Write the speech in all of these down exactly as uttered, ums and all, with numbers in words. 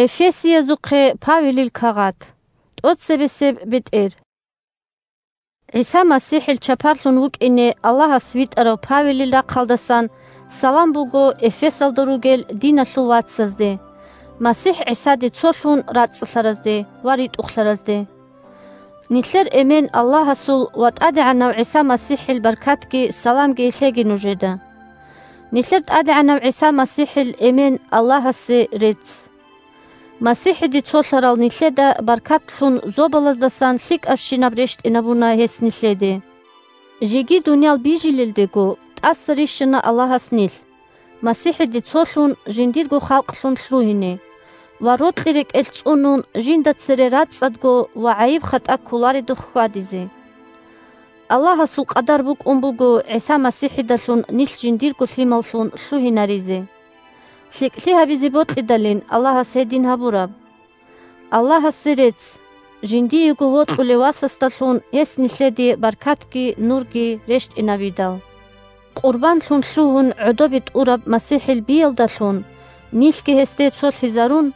Эфесиязухъе Павелил кагъат. ТӀоцебесеб бетӀер. ГӀиса МасихӀил чапарлъун вукӀине Аллагьас витӀарав Павелил рахъалдасан салам буго Эфесалда ругел диналъул вацазде, МасихӀ ГӀисаде цолъун рацӀцӀалъаразде ва ритӀухълъаразде. Нилъер эмен Аллагьасул ва ТӀадегӀанав ГӀиса МасихӀил баркатги саламги лъеги нужеда. Нилъер ТӀадегӀанав ГӀиса МасихӀил эмен Аллагьасе рецц. МасихӀиде цолъарал нилъеда баркатлъун зобалаздасан лъикӀабщинаб рещтӀинабуна гьес нилъеде. Жеги дуниял бижилелдего тӀаса рищана Аллагьас нилъ, МасихӀиде цолъун жиндирго халкълъун лъугьине ва рокьи рекӀелъ цӀунун жинда цере рацӀцӀадго ва гӀайиб-хатӀа кколаредухъ хьвадизе. Аллагьасул къадар букӀун буго ГӀиса МасихӀидалъун нилъ жиндирго лъималлъун лъугьинаризе. ЛъикӀлъи гьабизе бокьидалин Аллагьас гьедин гьабураб. Аллагьасе рецц, жиндиего вокьулев Васасдалъун гьес нилъеде баркатги нурги рещтӀинавидал. Къурбанлъун лъугьун гӀодобе тӀураб МасихӀил биялдалъун, нилъги гьесде цолъизарун,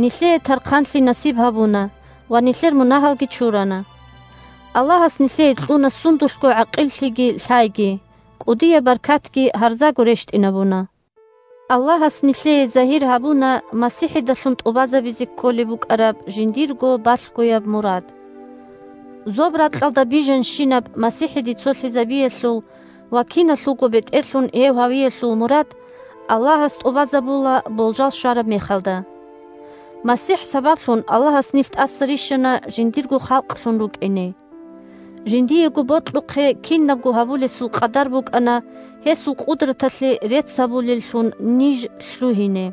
нилъее тархъанлъи насиб гьабуна ва нилъер мунагьалги чурана. Аллагьас нилъее кьуна сундулъго гӀакъиллъиги лъайги, кӀудияб баркатги гьарзаго рещтӀинабуна. Аллагьас нилъее загьир гьабуна МасихӀидалъун тӀубазабизе кколеб букӀараб жиндирго балъгояб мурад. Зоб-ракьалда бижанщинаб МасихӀиде цолъизабиялъул ва киналъулго бетӀерлъун гьев гьавиялъул мурад Аллагьас тӀубазабула болжал щвараб мехалда. МасихӀ сабаблъун Аллагьас нилъ тӀаса рищана жиндирго халкълъун рукӀине. Жиндиего бокьухъе кинабго гьабулесул къадар букӀана гьесул къудраталъе рецц гьабулеллъун ниж лъугьине.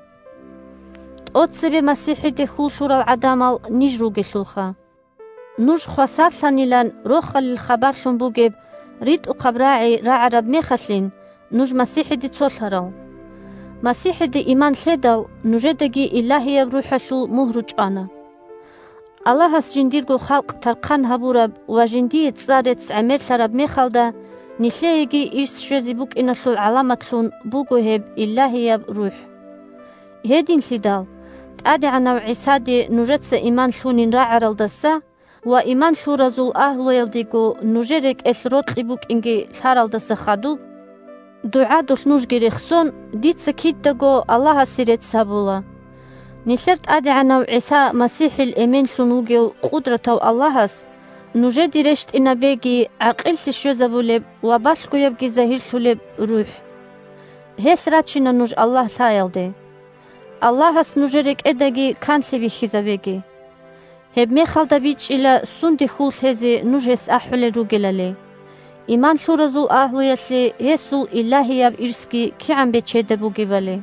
ТӀоцебе МасихӀиде хьул лъурал гӀадамал ниж ругелъулха. Нуж хвасарлъанилан рохалил хабарлъун бугеб ритӀухъаб рагӀи рагӀараб мехалъин, нуж МасихӀиде цолъарал. МасихӀиде иман лъедал, нужедаги Илагьияб РухӀалъул мугьру чӀвана. Аллагьас жиндирго халкъ тархъан гьабураб ва жиндие цӀар-рецц гӀемерлъараб мехалда, нилъееги ирс щвезе букӀиналъул гӀаламатлъун буго гьеб Илагьияб РухӀ. Гьединлъидал, ТӀадегӀанав ГӀисаде нужеца иман лъунин рагӀаралдаса ва иман лъуразул агьлуялдего нужер рекӀелъ рокьи букӀинги лъаралдаса хадуб, дугӀадулъ нужги рехсон, дица кидаго Аллагьасе рецц гьабула. Нилъер ТӀадегӀанав ГӀиса МасихӀил эменлъун вугев къудратав Аллагьас нужеде рещтӀинабеги гӀакъиллъи щвезабулеб ва балъгоябги загьирлъулеб РухӀ. Гьелъ рачина нуж Аллагь лъаялде. Аллагьас нужер рекӀедаги канлъи бихьизабеги. Гьеб мехалда бичӀчӀила сунде хьул лъезе нуж гьес ахӀулел ругелали. Иман лъуразул агьлуялъе гьесул Илагьияб ирсги кигӀан бечеда бугебали.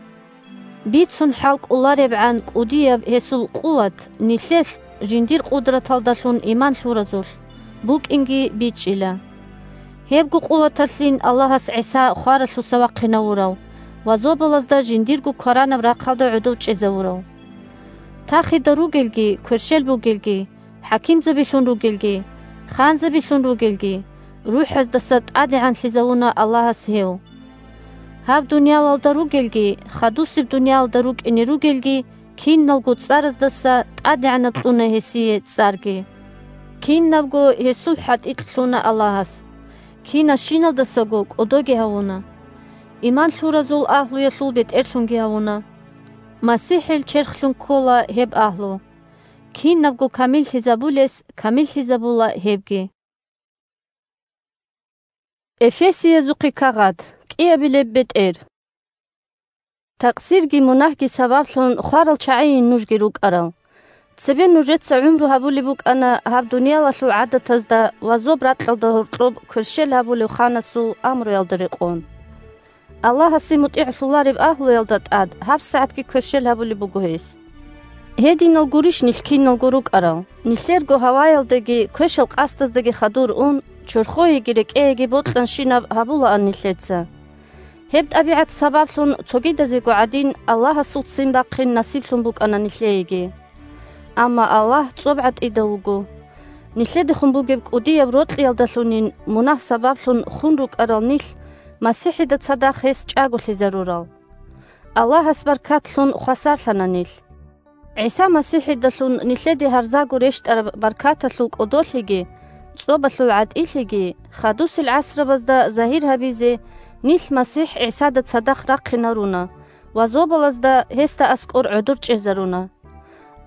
Бицун хӀал кӀоларебгӀан кӀудияб гьесул къуват нилъелъ, жиндир къудраталдалъун иман лъуразулъ, букӀинги бичӀчӀила. Гьебго къуваталъин Аллагьас ГӀиса хваралъуса вахъинавурав ва зобалазда жиндирго кваранаб рахъалда гӀодов чӀезавурав. Тахида ругелги, кверщел бугелги, хӀакимзабилъун ругелги, ханзабилъун ругелги, рухӀаздаса тӀадегӀанлъизавуна Аллагьас гьев. Гьаб дуниялалда ругелги, хадусеб дуниялалда рукӀине ругелги, киналго цӀараздаса тӀадегӀанаб кьуна гьесие цӀарги. Кинабго гьесул хӀатӀикь лъуна Аллагьас. Кинашиналдасаго кӀодоги гьавуна. Иман лъуразул агьлуялъул бетӀерлъунги гьавуна. МасихӀил черхлъун ккола гьеб агьлу. Кинабго камиллъизабулес камиллъизабула гьебги. Эфесиязухъе кагъат, кӀиабилеб бетӀер. Такъсирги мунагьги сабаблъун хварал чагӀийин нужги рукӀарал. Цебе нужеца гӀумру гьабулеб букӀана гьаб дуниялалъул гӀадатазда ва зоб-ракьалда гьоркьоб кверщел гьабулев ханасул амруялда рекъон. Аллагьасе мутӀигӀлъулареб агьлуялда тӀад гьабсагӀатги кверщел гьабулеб буго гьес. Гьединал гурищ нилъ киналго рукӀарал? Нилъерго гьаваялдаги квешал къасдаздаги хадур ун, чорхоеги рекӀееги бокьанщинаб гьабулаан нилъеца. Гьеб тӀабигӀат сабаблъун цогидазего гӀадин Аллагьасул ццин бахъин насиблъун букӀана нилъееги. Амма Аллагь цӀоб гӀатӀида вуго. Нилъедехун бугеб кӀудияб рокьиялдалъунин мунагь сабаблъун хун рукӀарал нилъ МасихӀида цадахъ гьес чӀаголъизарурал. Аллагьас баркатлъун хвасарлъана нилъ. ГӀиса МасихӀидалъун нилъеде гьарзаго рещтӀараб баркаталъул кӀодолъиги, цӀобалъул гӀатӀилъиги, хадусел гӀасрабазда загьир гьабизе, нилъ МасихӀ ГӀисада цадахъ рахъинаруна ва зобалазда гьесда аскӀор гӀодор чӀезаруна.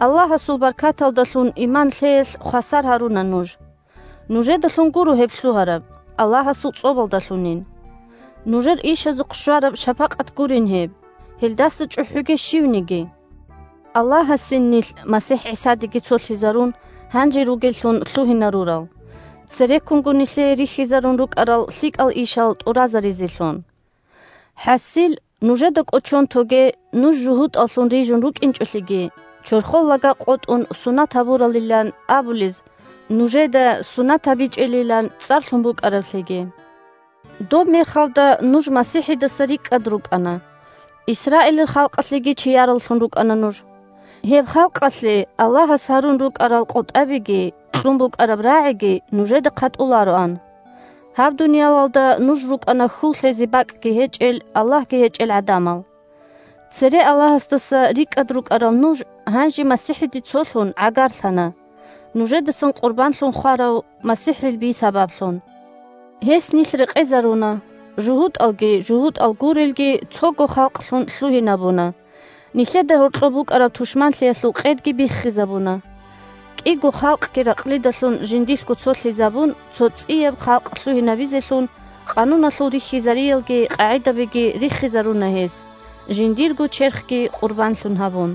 Аллагьасул баркаталдалъун иман лъеялъ хвасар гьаруна нуж. Нужедалъун гуро гьеб лъугьараб, Аллагьасул цӀобалдалъунин. Нужер ишазухъ щвараб шапакъат гурин гьеб, гьелдаса чӀухӀуге щивниги. Аллагьасин нилъ МасихӀ ГӀисадеги цолъизарун, гьанже ругеллъун лъугьинарурал, цереккунго нилъее рихьизарун рукӀарал лъикӀал ишал тӀуразаризелъун. ХӀасил, нужеда кӀочон тоге, нуж жугьутӀаллъун рижун рукӀинчӀолъиги, чорхол лага къотӀун сунат гьабуралилан абулез, нужеда сунат гьабичӀелилан цӀарлъун букӀараблъиги. Доб мехалда нуж МасихӀидаса рикӀкӀад рукӀана. Исраилил халкъалъеги чияраллъун рукӀана нуж. Гьеб халкъалъе Аллагьас гьарун рукӀарал къотӀабиги кьун букӀараб рагӀиги нужеда хъатӀулароан. Гьаб дуниялалда нуж рукӀана хьул лъезе бакӀги гьечӀел, Аллагьги гьечӀел гӀадамал. Цере Аллагьасдаса рикӀкӀад рукӀарал нуж гьанже МасихӀиде цолъун гӀагарлъана, нужедасан къурбанлъун хварав МасихӀил би сабаблъун. Гьес нилъ рекъезаруна, жугьутӀалги жугьутӀал гурелги цого халкълъун лъугьинабуна, нилъеда гьоркьоб букӀараб тушманлъиялъул къедги биххизабуна. КӀиго халкъги ракълидалъун жиндилъго цолъизабун, цо цӀияб халкъ лъугьинабизелъун, къануналъул рихьизариялги къагӀидабиги риххизаруна гьес, жиндирго черхги къурбанлъун гьабун.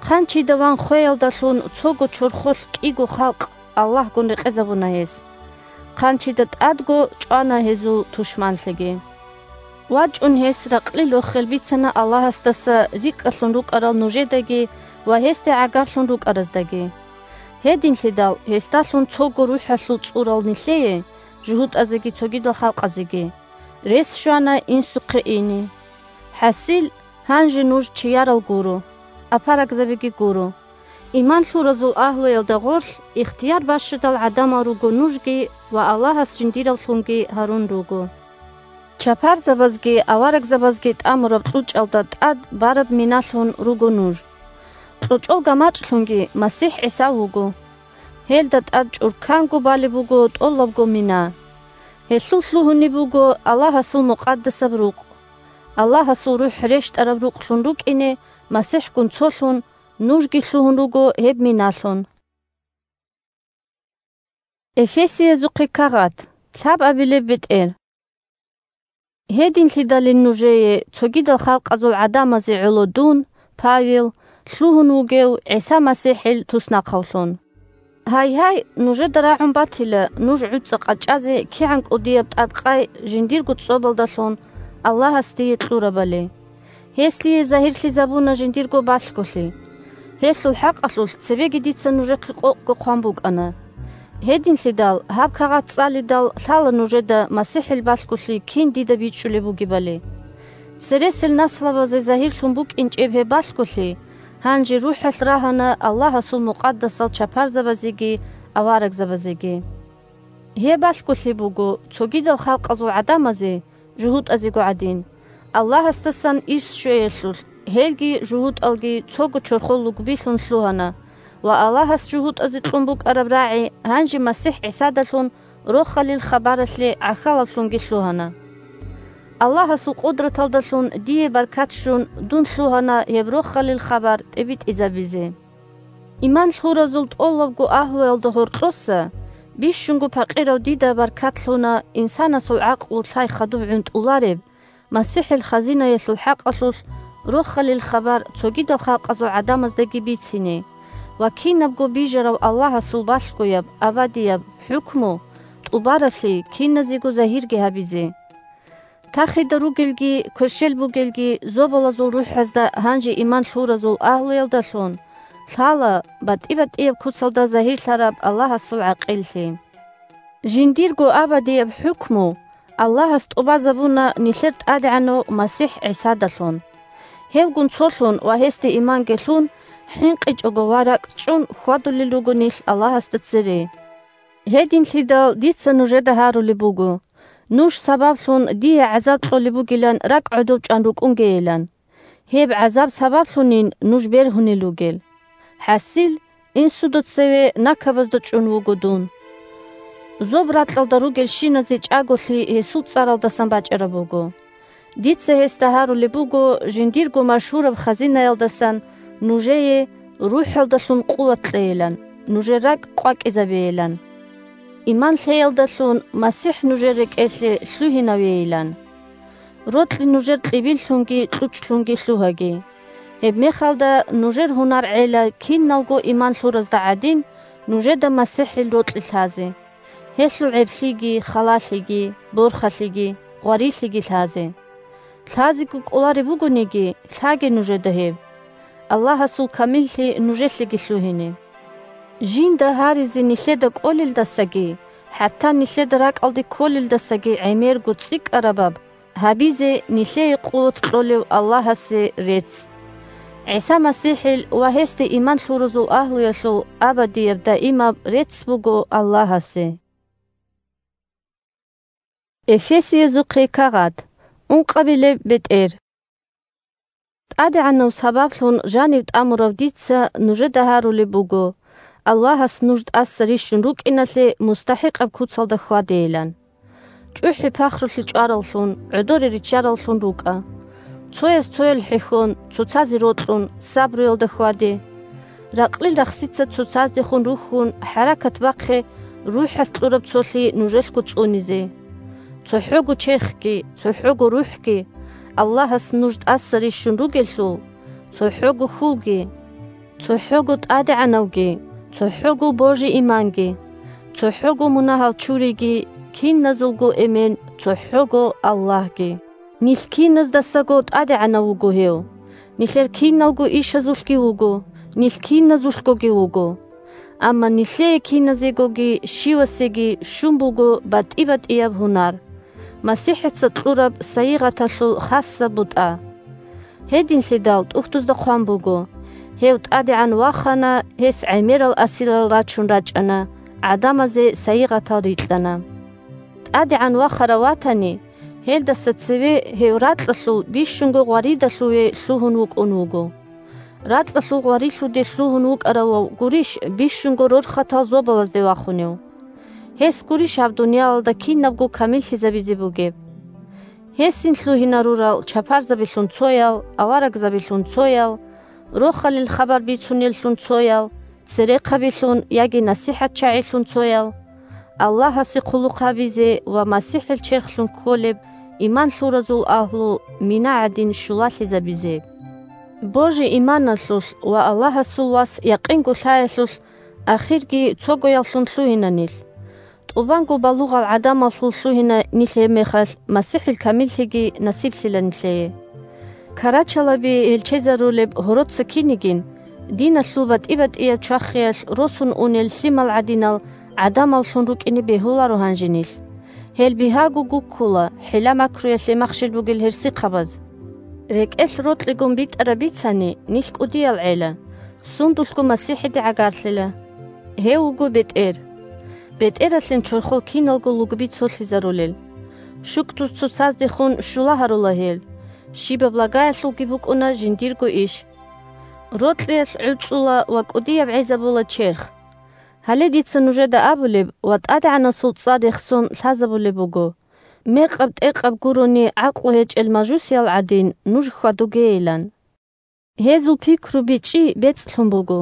Хъанчида ван хвеялдалъун цого чорхолъ кӀиго халкъ Аллагьгун рекъезабуна гьес. Хъанчида тӀадго чӀвана гьезул тушманлъиги. ВачӀун гьес ракълил рохел бицана Аллагьасдаса рикӀкӀалъун рукӀарал нужедаги ва гьесде гӀагарлъун рукӀараздаги. Гьединлъидал гьесдалъун цого рухӀалъул цӀурал нилъее, жугьутӀазеги цогидал халкъазеги, рес щвана инсухъе ине. ХӀасил, гьанже нуж чиярал гуро, апарагзабиги гуро. Иман лъуразул агьлуялда гъорлъ ихтияр бащадал гӀадамал руго нужги ва Аллагьас жиндираллъунги гьарун руго. Чапарзабазги аварагзабазги тӀамураб кьучӀалда тӀад бараб миналъун руго нуж. КьучӀол гамачӀлъунги МасихӀ ГӀиса вуго. Гьелда тӀад чӀурканго балеб буго тӀолабго мина. Гьелъул лъугьунеб буго Аллагьасул мукъадасаб рукъ. Аллагьасул РухӀ рещтӀараб рукълъун рукӀине МасихӀгун цолъун, нужги лъугьун руго гьеб миналъун. Эфесиязухъе кагъат, лъабабилеб бетӀер. Гьединлъидалин нужее, цогидал халкъазул гӀадамазе гӀоло дун, Павел, лъугьун вугев ГӀиса МасихӀил туснахъавлъун. Гьайгьай, нужеда рагӀун батила нуж гӀуцӀа къачӀазе кигӀан кӀудияб тӀадкъай жиндирго цӀобалдалъун Аллагьас дие кьурабали. Гьес дие загьирлъизабуна жиндирго балъголъи. Гьелъул хӀакъалъулъ цебеги дица нужехъе къокъго хъван букӀана. Гьединлъидал гьаб кагъат цӀалидал лъала нужеда МасихӀил балъголъи кин дида бичӀчӀулеб бугебали. Цересел наслабазе загьирлъун букӀинчӀеб гьеб балъголъи гьанже РухӀалъ рагьана Аллагьасул мукъадасал чапарзабазеги аварагзабазеги. Гьеб балъголъи буго цогидал халкъазул гӀадамазе, жугьутӀазего гӀадин, Аллагьасдасан иш щвеялъулъ, гьелги жугьутӀалги цого чорхол лугбилъун лъугьана ва Аллагьас жугьутӀазе кьун букӀараб рагӀи гьанже МасихӀ ГӀисадалъун Рохалил хабаралъе гӀахьалаблъунги лъугьана. Аллагьасул къудраталдалъун дие баркат щун, дун лъугьана гьеб Рохалил хабар тӀибитӀизабизе. Иман лъуразул тӀолабго агьлуялда гьоркьоса бищунго пакъирав дида баркат лъуна инсанасул гӀакълу-лъай хадуб гӀунтӀулареб, МасихӀил хазинаялъул хӀакъалъулъ Рохалил хабар цогидал халкъазул гӀадамаздаги бицине ва кинабго бижарав Аллагьасул балъгояб абадияб хӀукму, тӀубараблъи киназего загьирги гьабизе. Тахида ругелги, кверщел бугелги зобалазул рухӀазда гьанже иман лъуразул агьлуялдалъун лъала батӀи-батӀияб куцалда загьирлъараб Аллагьасул гӀакъиллъи. Жиндирго абадияб хӀукму Аллагьас тӀубазабуна нилъер ТӀадегӀанав МасихӀ ГӀисадалъун. Гьевгун цолъун ва гьесде иманги лъун, хӀинкъичӀого ва ракӀчӀун хьвадулел руго нилъ Аллагьасда цере. Гьединлъидал дица нужеда гьарулеб буго, нуж сабаблъун дие гӀазаб кьолеб бугилан ракӀ гӀодов чӀван рукӀунгейилан. Гьеб гӀазаб сабаблъунин нуж бергьунел ругел. ХӀасил, инсуда цеве накабазда чӀун вуго дун. Зоб ракьалда ругелщиназе чӀаголъи гьесул цӀаралдасан бачӀараб буго. Дица гьесда гьарулеб буго жиндирго машгьураб хазинаялдасан нужее рухӀалдалъун къуват кьейилан, нужер ракӀ къвакӀизабейилан. Иман лъеялдалъун МасихӀ нужер рекӀелъе лъугьинавейилан. Рокьи нужер кьибиллъунги кьучӀлъунги лъугьаги. Гьебмехалда нужер гьунар гӀела киналго иман лъуразда гӀадин нужеда МасихӀил рокьи лъазе, гьелъул гӀеблъиги, халалъиги, борхалъиги, гъварилъиги лъазе. Лъазего кӀолареб бугониги, лъаге нужеда гьеб. Аллагьасул камиллъи нужелъеги лъугьине. Жинда гьаризе нилъеда кӀолелдасаги, хӀатта нилъеда ракӀалде кколелдасаги гӀемерго цӀикӀкӀарабаб гьабизе нилъее къуват кьолев Аллагьасе рецц. ГӀиса МасихӀил ва гьесде иман лъуразул агьлуялъул абадияб даимаб рецц буго Аллагьасе. Эфесиязухъе кагъат, ункъабилеб бетӀер. ТӀадегӀанав сабаблъун жанив тӀамурав дица нужеда гьарулеб буго, Аллагьас нуж тӀаса рищун рукӀиналъе мустахӀикъаб куцалда хьвадейилан. ЧӀухӀи-пахрулъи чӀвараллъун, гӀодоре риччараллъун рукӀа. Цояс цоял хӀехьон, цоцазе рокьун, сабруялда хьваде. Ракълил рахсица цоцаздехун рухьун, хӀаракат бахъе рухӀалъ кьураб цолъи нужелъго цӀунизе. ЦохӀого черхги, цохӀого рухӀги Аллагьас нуж тӀаса рищун ругелъул, цохӀого хьулги, цохӀого тӀадегӀанавги, цохӀого божи-иманги, цохӀого мунагьал чуриги, киназулго эмен, цохӀого Аллагьги. Нилъ киназдасаго ТӀадегӀанав вуго гьев. Нилъер киналго ишазулъги вуго, нилъ киназулъгоги вуго. Амма нилъее киназегоги щивасеги щун буго батӀи-батӀияб гьунар, МасихӀица кьураб сайигъаталъул хасаб бутӀа. Гьединлъидал тӀухьдузда хъван буго: «Гьев ТӀадегӀан вахана, гьес гӀемерал асирал рачун рачӀана, гӀадамазе сайигъатал рикьана». ТӀадегӀан вахарав ватани, гьелдаса цеве гьев ракьалъул бищунго гъваридалъуве лъугьун вукӀун вуго. Ракьалъул гъварилъуде лъугьун вукӀаравав гурищ бищунго рорхатал зобалазде вахунев? Гьес гурищ гьаб дуниялалда кинабго камиллъизабизе бугеб? Гьесин лъугьинарурал чапарзабилъун цоял, аварагзабилъун цоял, рохалил хабар бицунеллъун цоял, церехъабилъун яги насихӀатчагӀилъун цоял, Аллагьасе хъулухъ гьабизе ва МасихӀил черхлъун кколеб иман лъуразул агьлу мина гӀадин щулалъизабизе. Божи-иманалъулъ ва Аллагьасул вас якъинго лъаялъулъ ахирги цогояллъун лъугьина нилъ. ТӀубанго балугъал гӀадамаллъун лъугьина нилъ гьебмехалъ, МасихӀил камиллъиги насиблъила нилъее. Карачалаби гьелчезарулеб гьороца кинигин, диналъул батӀи-батӀияб чвахиялъ росун унел лъимал гӀадинал гӀадамаллъун рукӀине бегьуларо гьанже нилъ. Гьел бигьаго гуккула, хӀила-макруялъе махщел бугел гьерсихъабаз. РекӀелъ рокьигун битӀараб бицани, нилъ кӀудиял гӀела, сундулъго МасихӀиде гӀагарлъила. Гьев вуго бетӀер. БетӀералъин чорхол киналго лугби цолъизарулел. ШукӀдуз цоцаздехун щула гьарула гьел. Щибаб лагаялъулги букӀуна жиндирго иш. Рокьиялъ гӀуцӀула ва кӀудияб гӀезабула черх. Гьале дица нужеда абулеб ва ТӀадегӀанасул цӀар рехсон лъазабулеб буго: мекъаб-тӀекъаб гурони гӀакълу гьечӀел мажусиял гӀадин нуж хьвадугейилан. Гьезул пикру бичӀчӀи бецӀлъун буго.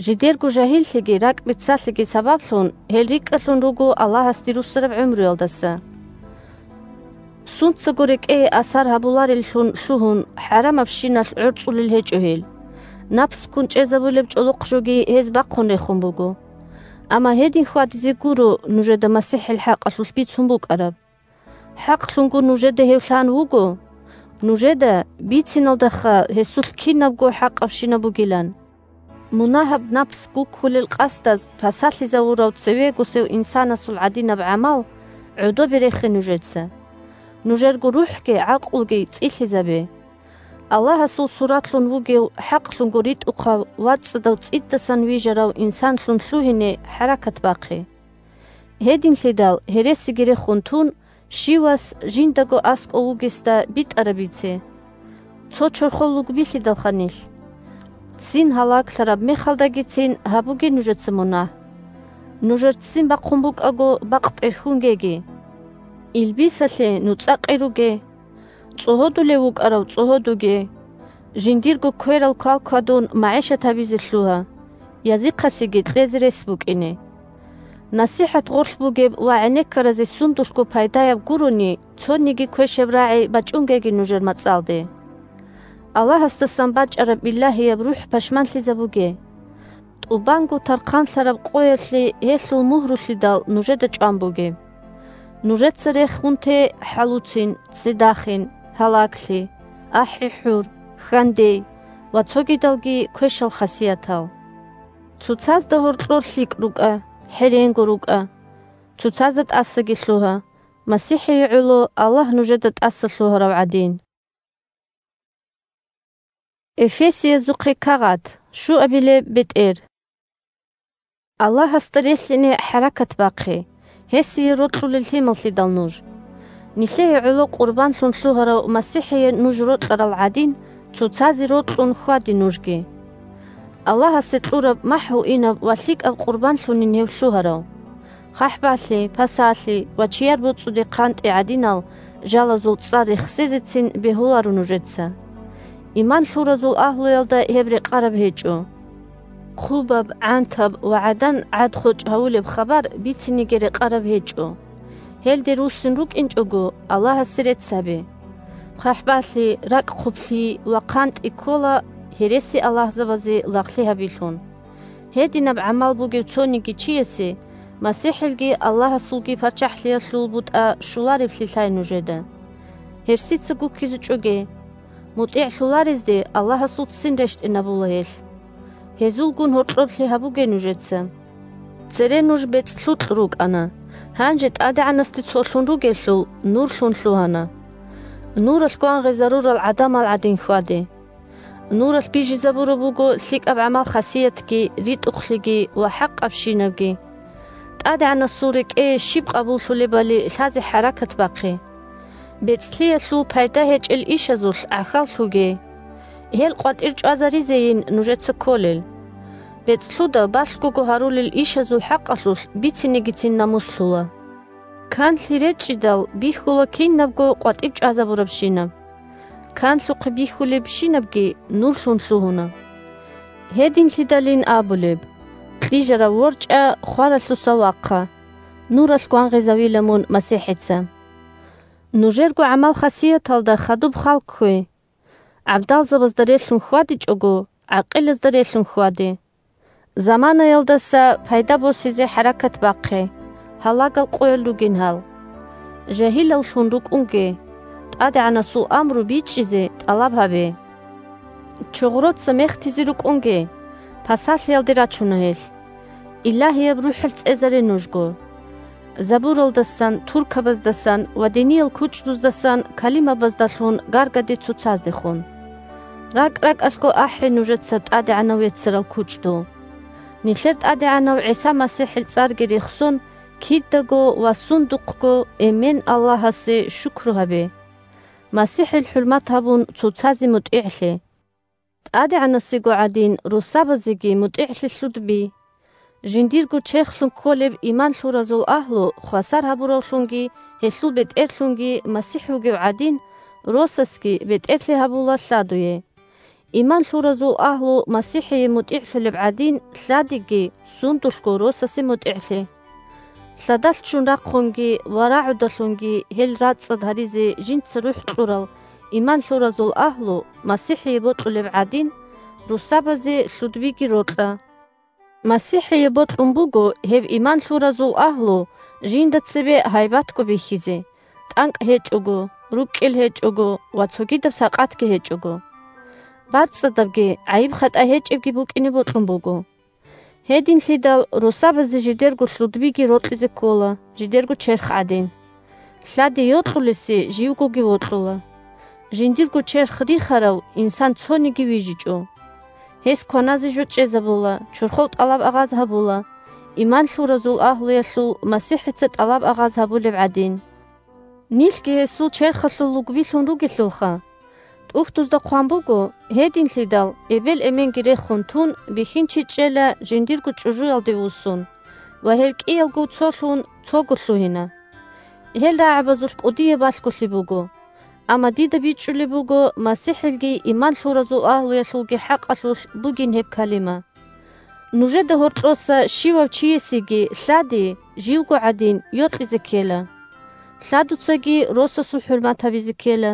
Жидерго жагьиллъиги ракӀбиццалъиги сабаблъун гьел рикӀкӀалъун руго Аллагьасде руссараб гӀумруялдаса. Сунцаго рекӀее асар гьабулареллъун лъугьун, хӀарамабщиналъ гӀорцӀулел гьечӀо гьел. Напс ккун чӀезабулеб чӀолохъ жоги гьез бахъун рехун буго. Амма гьедин хьвадизе гуро нужеда МасихӀил хӀакъалъулъ бицун букӀараб. ХӀакълъунго нужеда гьев лъан вуго, нужеда бициналдаха гьесулъ кинабго хӀакъабщинаб бугилан. Мунагьаб напс гуккулел къасдаз пасалъизавурав цевегосев инсанасул гӀадинаб гӀамал гӀодобе рехе нужеца. Нужерго рухӀги гӀакълуги цӀилъизабе. Аллагьасул суратлъун вугев хӀакълъунго ритӀухъав ва цӀадав цӀидасан вижарав инсанлъун лъугьине хӀаракат бахъе. Гьединлъидал гьересиги рехун тун, щивас жиндаго аскӀов вугесда битӀараб бице. Цо чорхол лугбилъидалха нилъ. Ццин гьалаглъараб мехалдагицин гьабуге нужеца мунагь. Нужер ццин бахъун букӀаго, бакъ тӀерхьунгеги. Илбисалъе нуцӀа-къи руге. ЦӀогьодулев вукӀарав цӀогьодуге. Жиндирго кверал квалквадун магӀишат гьабизе лъугьа, язихъасеги кьезе рес букӀине. НасихӀат гъорлъ бугеб ва гӀенеккаразе сундулъго пайдаяб гурони, цониги квешаб рагӀи бачӀунгеги нужер мацӀалде. Аллагьасдасан бачӀараб илагьияб рухӀ пашманлъизабуге. ТӀубанго тархъанлъараб къоялъе гьелъул мугьрулъидал нужеда чӀван бугеб. Нужеца рехун те хӀалуцин, ццидахин, гьалаглъи, ахӀи-хӀур, хьандей ва цогидалги квешал хасиятал. Цоцазда гьоркьор лъикӀ рукӀа, хӀеренго рукӀа. Цоцазда тӀасаги лъугьа, МасихӀие гӀоло Аллагь нужеда тӀаса лъугьарав гӀадин. Эфесиязухъе кагъат, щуабилеб бетӀер. Аллагьасда релълъине хӀаракат бахъе, гьесие рокьулел лъималлъидал нуж. Нилъее гӀоло къурбанлъун лъугьарав МасихӀие нуж рокьарал гӀадин, цоцазе рокьун хьваде нужги. Аллагьасе кьураб махӀгьуинаб ва лъикӀаб къурбанлъунин гьев лъугьарав. ХъахӀбалъи, пасалъи ва чияр боцӀуде хъантӀи гӀадинал жалазул цӀар рехсезецин бегьуларо нужеца. Иман лъуразул агьлуялда гьеб рекъараб гьечӀо. Хъубаб, гӀантаб ва гӀадан гӀад-хочӀ гьавулеб хабар бициниги рекъараб гьечӀо. Гьелде руссин рукӀинчӀого, Аллагьасе рецц гьабе. ХъахӀбалъи, ракӀ хъублъи ва хъантӀи ккола гьересиаллагьзабазе лагълъи гьабилъун. Гьединаб гӀамал бугев цониги чиясе МасихӀилги Аллагьасулги ПарччахӀлъиялъул бутӀа щулареблъи лъай нужеда. Гьерсица гуккизе чӀоге. МутӀигӀлъуларезде Аллагьасул ццин рещтӀинабула гьелъ. Гьезулгун гьоркьоблъи гьабуге нужеца. Цере нуж бецӀлъукь рукӀана, гьанже ТӀадегӀанасде цолъун ругелъул, нурлъун лъугьана. Нуралъ гвангъизарурал гӀадамал гӀадин хьваде. Нуралъ бижизабураб буго лъикӀаб гӀамал-хасиятги, ритӀухълъиги ва хӀакъабщинабги. ТӀадегӀанасул рекӀее щиб къабуллъулебали лъазе хӀаракат бахъе. БецӀлъиялъул пайда гьечӀел ишазулъ гӀахьаллъуге. Гьел къватӀир чӀвазаризейин нужеца кколел. БецӀлъуда балъгого гьарулел ишазул хӀакъалъулъ бицинегицин намуслъула. Канлъи речӀчӀидал бихьула кинабго къватӀиб чӀвазабурабщинаб. Канлъухъе бихьулебщинабги нурлъун лъугьуна. Гьединлъидалин абулеб: «Кьижарав ворчӀа, хваралъуса вахъа, нуралъ гвангъизавила мун МасихӀица». Нужерго гӀамал-хасияталда хадуб халккве. ГӀабдалзабазда релълъун хьвадичӀого, гӀакъилазда релълъун хьваде. Заманаялдаса пайда босизе хӀаракат бахъе, гьалагал къоял ругин гьал. Жагьилаллъун рукӀунге, ТӀадегӀанасул амру бичӀчӀизе тӀалаб гьабе. Чогъроца мехтизе рукӀунге, пасалъиялде рачуна гьелъ. Илагьияб РухӀал цӀезаре нужго. Забуралдасан, туркабаздасан ва диниял кучӀдуздасан калимабаздалъун гаргаде цоцаздехун. РакӀ-ракӀалъго ахӀе нужеца ТӀадегӀанав веццарал кучӀдул. Нилъер ТӀадегӀанав ГӀиса МасихӀил цӀарги рехсон, кидаго ва сундухъго эмен Аллагьасе шукру гьабе. МасихӀил хӀурмат гьабун, цоцазе мутӀигӀлъе. ТӀадегӀанасего гӀадин, росабазеги мутӀигӀлъи лъудби. Жиндирго черхлъун кколеб иман лъуразул агьлу хвасар гьабуравлъунги гьелъул бетӀерлъунги МасихӀ вугев гӀадин, росасги бетӀерлъи гьабула лъадуе. Иман лъуразул агьлу МасихӀие мутӀигӀлъулеб гӀадин, лъадиги сундулъго росасе мутӀигӀлъе. Лъадалъ ччун рахъунги ва рагӀудалъунги гьел рацӀцӀад гьаризе жинца рухӀ кьурал иман лъуразул агьлу МасихӀие бокьулеб гӀадин, русабазе лъудбиги рокьа. МасихӀие бокьун буго гьеб иман лъуразул агьлу жинда цебе гьайбатго бихьизе, тӀанкӀ гьечӀого, руккӀел гьечӀого ва цогидаб сакъатги гьечӀого. БарцӀцӀадабги гӀайиб-хатӀа гьечӀебги букӀине бокьун буго. Гьединлъидал русабазе жидерго лъудбиги рокьизе ккола, жидерго черх гӀадин. Лъади йокьулесе живгоги вокьула. Жиндирго черх рихарав инсан цониги вижичӀо. Гьес кваназе жо чӀезабула, чорхол тӀалаб-агъаз гьабула, иман лъуразул агьлуялъул МасихӀица тӀалаб-агъаз гьабулеб гӀадин. Нилъги гьесул черхалъул лугбилъун ругелъулха, УхӀдузда хъван буго, гьединлъидал эбел-эменги рехун тун, бихьинчи чӀела жиндирго чӀужуялде вуссун, ва гьел кӀиялго цолъун цого лъугьина. Гьел рагӀабазулъ кӀудияб балъголъи буго. Амма дида бичӀчӀулеб буго МасихӀилги иман лъуразул агьлуялъулги хӀакъалъулъ бугин гьеб калима. Нужеда гьоркьоса щивав чиясеги лъади, живго гӀадин, йокьизе ккела. Лъадуцаги росасул хӀурмат гьабизе ккела.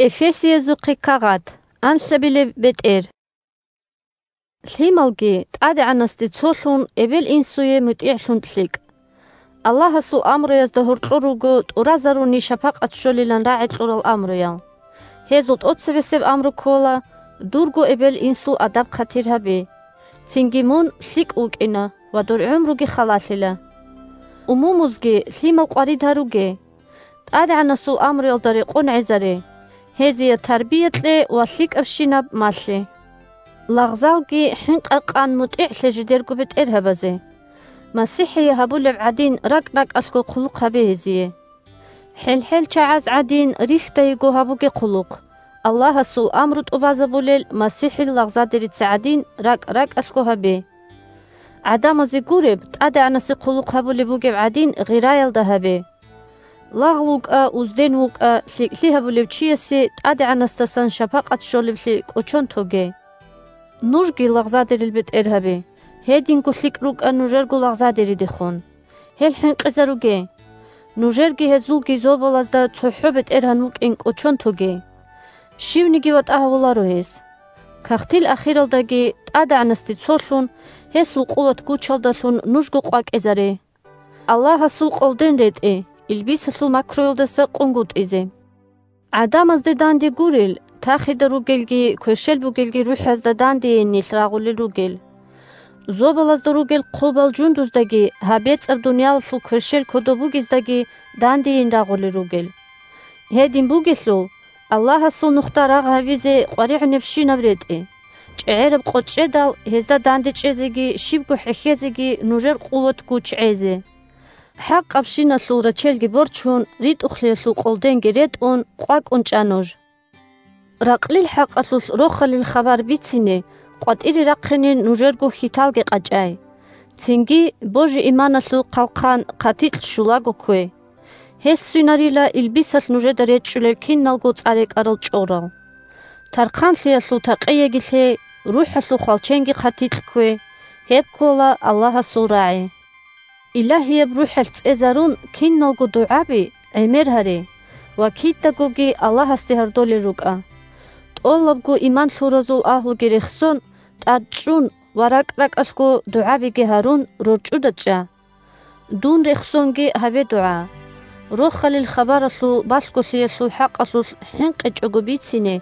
Эфесиязухъе кагъат, анлъабилеб бетӀер. Лъималги ТӀадегӀанасде цолъун, эбел-инсуе мутӀигӀлъун лъикӀ. Аллагьасул амруязда гьоркьор руго тӀуразаруни шапакъат щолилан рагӀи кьурал амруял. Гьезул тӀоцебесеб амру ккола: «Дурго эбел-инсул адаб-хъатир гьабе». Цинги: «Мун лъикӀ вукӀина ва дур гӀумруги халалъила». Умумузги лъимал къварид гьаруге. ТӀадегӀанасул амруялда рекъон гӀезаре, гьезие тарбия кье ва лъикӀабщинаб малъе. Лагъзалги хӀинкъа-къан мутӀигӀлъе жидерго бетӀергьабазе. МасихӀие гьабулеб гӀадин ракӀ-ракӀалъго хъулухъ гьабе гьезие. ХӀел-хӀел чагӀаз гӀадин рихьдайго гьабуге хъулухъ, Аллагьасул амру тӀубазабулел МасихӀил лагъзадерица гӀадин ракӀ-ракӀалъго гьабе. ГӀадамазе гуреб, ТӀадегӀанасе хъулухъ гьабулеб бугеб гӀадин гъираялда гьабе. Лагъ вукӀа, узден вукӀа, лъикӀлъи гьабулев чиясе ТӀадегӀанасдасан шапакъат щолеблъи кӀочон тоге. Нужги лагъзадерил бетӀер гьабе, гьединго лъикӀ рукӀа нужерго лагъзадеридехун. Гьел хӀинкъизаруге. Нужерги гьезулги зобалазда цохӀо бетӀергьан вукӀин кӀочон тоге. Щивниги ватӀа гьавуларо гьес. Кагътил ахиралдаги ТӀадегӀанасде цолъун, гьесул къуват-гучалдалъун нужго къвакӀезаре. Аллагьасул къолден ретӀе, илбисалъул макруялдаса къунгутӀизе. ГӀадамазде данде гурел, тахида ругелги кверщел бугелги рухӀазда дандейин нилъ рагъулел ругел. Зобалазда ругел хъубал жундуздаги гьаб бецӀаб дуниялалъул кверщел кодоб бугездаги дандейин рагъулел ругел. Гьедин бугелъул, Аллагьасул нухда рагъ гьавизе къваригӀунебщинаб ретӀе, чӀегӀераб къочӀедал гьезда данде чӀезеги щибго хӀехьезеги нужер къуват-гуч гӀезе. ХӀакъабщиналъул рачелги борчун, ритӀухълъиялъул къолденги ретӀун, къвакӀун чӀа нуж. Ракълил хӀакъалъулъ рохалил хабар бицине къватӀире рахъине нужерго хьиталги къачӀай. Цинги божи-иманалъул хъалхъан хъатикь щулаго ккве. Гьелъ свинарила илбисалъ нужеда речӀчӀулел киналго цӀа рекӀарал чӀорал. Тархъанлъиялъул такъияги лъе, рухӀалъул хвалченги хъатикь ккве, гьеб ккола Аллагьасул рагӀи. Илагьияб РухӀалъ цӀезарун киналго дугӀаби гӀемер гьаре ва кидагоги Аллагьасде гьардолел рукӀа. ТӀолабго иман лъуразул агьлуги рехсон, тӀад чӀун ва ракӀ-ракӀалъго дугӀабиги гьарун рорчӀуда чӀа. Дун рехсонги гьабе дугӀа. Рохалил хабаралъул балъголъиялъул хӀакъалъулъ хӀинкъичӀого бицине,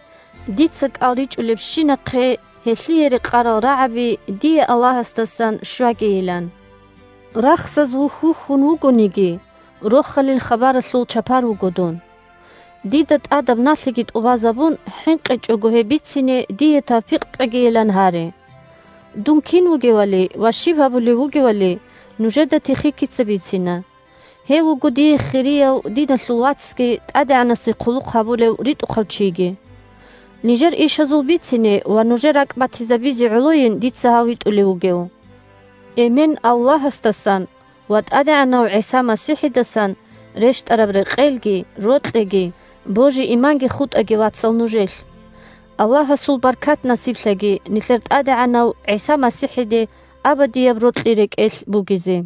дица кӀал ричӀулебщинахъе гьелъие рекъарал рагӀаби дие Аллагьасдасан щвагейилан. Рахсаз вухь-вухьун вугониги, рохалил хабаралъул чапар вуго дун. Дида тӀадаб налъиги тӀубазабун, хӀинкъичӀого гьеб бицине дие тавпикъ кьегейилан гьаре. Дун кин вугевали ва щиб гьабулев вугевали, нужеда Тихикица бицина. Гьев вуго дие хирияв диналъул вацги ТӀадегӀанасе хъулухъ гьабулев ритӀухъав чиги. Нижер ишазул бицине ва нужер ракӀ батизабизе гӀолойин дица гьав витӀулев вугев. Эмен Аллагьасдасан ва ТӀадегӀанав ГӀиса МасихӀидасан рещтӀараб рекъелги, рокьиги, божи-иманги хутӀаги, вацал, нужелъ. Аллагьасул баркат насиблъаги нилъер ТӀадегӀанав ГӀиса МасихӀиде абадияб рокьи рекӀелъ бугезе.